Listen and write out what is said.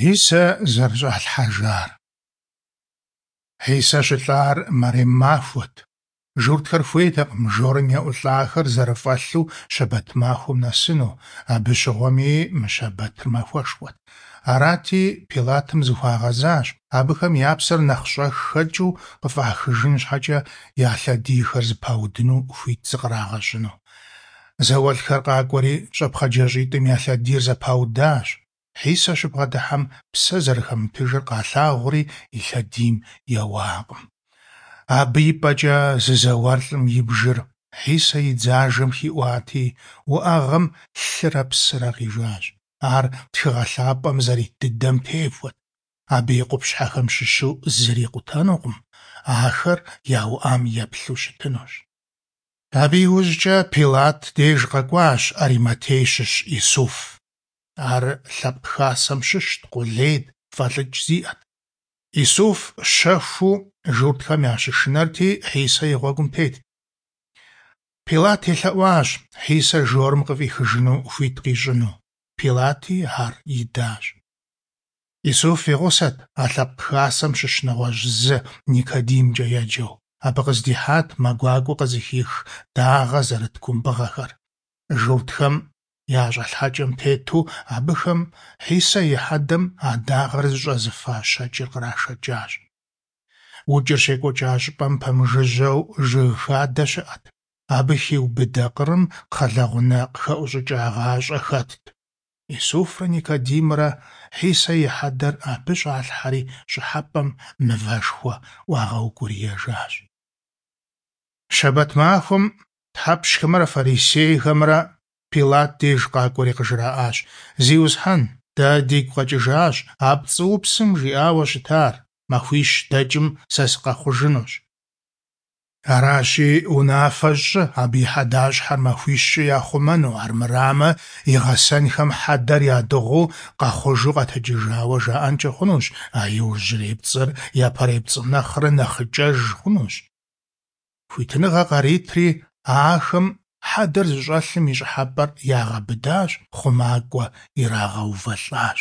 Хьисэ зэрыщӏалъхьэжар. Хьисэ щылӏар мэрем махуэт. Журтхэр хуейтэкъым жорым еӏулӏахэр зэрыфӏэлъу щэбэт махуэм нэсыну, абы щыгъуэми мы щэбэтыр махуэшхуэт. Арати, Пилатым зыхуагъэзащ, абыхэм я псэр нэхъ щӏэх хэкӏыу къыфӏахыжын щхьэкӏэ я лъэдийхэр зэпаудыну хуит зыкърагъэщӏыну. Зауэлӏхэр къакӏуэри щӏэпхъаджащӏитӏым я лъэдийр зэпаудащ. Хьисэ щыбгъэдыхьэм псэ зэрыхэмытыжыр къалъагъури и лъэдийм еуакъым. Абы и пӏэкӏэ зы зауэлӏым и бжыр Хьисэ и дзажэм хиӏуати, уӏэгъэм лъырэ псырэ къижащ. Ар Тхыгъэ Лъапӏэм зэрит дыдэм техуэт. Абы и къупщхьэхэм щыщу зыри къутэнукъым, ахэр яуӏам еплъу щытынущ. Абы иужькӏэ Пилат деж къэкӏуащ Ариматей щыщ Исуф. Ар лъэпкъ хасэм щыщт, къулейт, фӏэлӏыкӏ зиӏэт. Исуф щэхуу журтхэм ящышынэрти, Хьисэ и гъуэгум тетт. Пилат елъэӏуащ Хьисэ жорым къыфӏихыжыну хуит къищӏыну. Пилати ар идащ. Исуф и гъусэт а лъэпкъ хасэм щыщ нэгъуэщӏ зы, Никодимкӏэ еджэу. Абы къыздихьат мэ гуакӏуэ къызыхих дагъэ зэрыт кумбыгъэхэр. Журтхэм я щӏэлъхьэкӏэм тету абыхэм Хьисэ и хьэдэм а дагъэр зыщӏэзыфа щэкӏыр кърашэкӏащ. Укӏыр щекӏуэкӏа щӏыпӏэм пэмыжыжьэу жыг хадэ щыӏэт. Абы хиубыдэ къырым кхъэлэгъунэ къыхэӏущӏыкӏагъащӏэ хэтт. Исуфрэ Никодимрэ Хьисэ и хьэдэр абы щӏалъхьэри щӏыхьэпӏэм мывэшхуэ ӏуагъэукӏуриежащ. Щэбэт махуэм тхьэпщхэмрэ фарисейхэмрэ Пилат деж къакӏуэри къыжраӏащ: Зиусхьэн, дэ дигу къэкӏыжащ а пцӏыупсым жиӏауэ щытар: махуищ дэкӏым сэ сыкъэхъужынущ. Аращи, унафэ щӏы абы и хьэдащхьэр махуищкӏэ яхъумэну, армырамэ, и гъэсэнхэм хьэдэр ядыгъуу къэхъужу къэтэджыжауэ жаӏэнкӏэ хъунущ, а иужьрей пцӏыр япэрей пцӏым нэхърэ нэхъыкӏэж хъунущ. Хуитыныгъэ къаритри, ахэм хьэдэр зыщӏэлъым и щӏыхьэпӏэр ягъэбыдащ, хъумакӏуэ ирагъэувэлӏащ.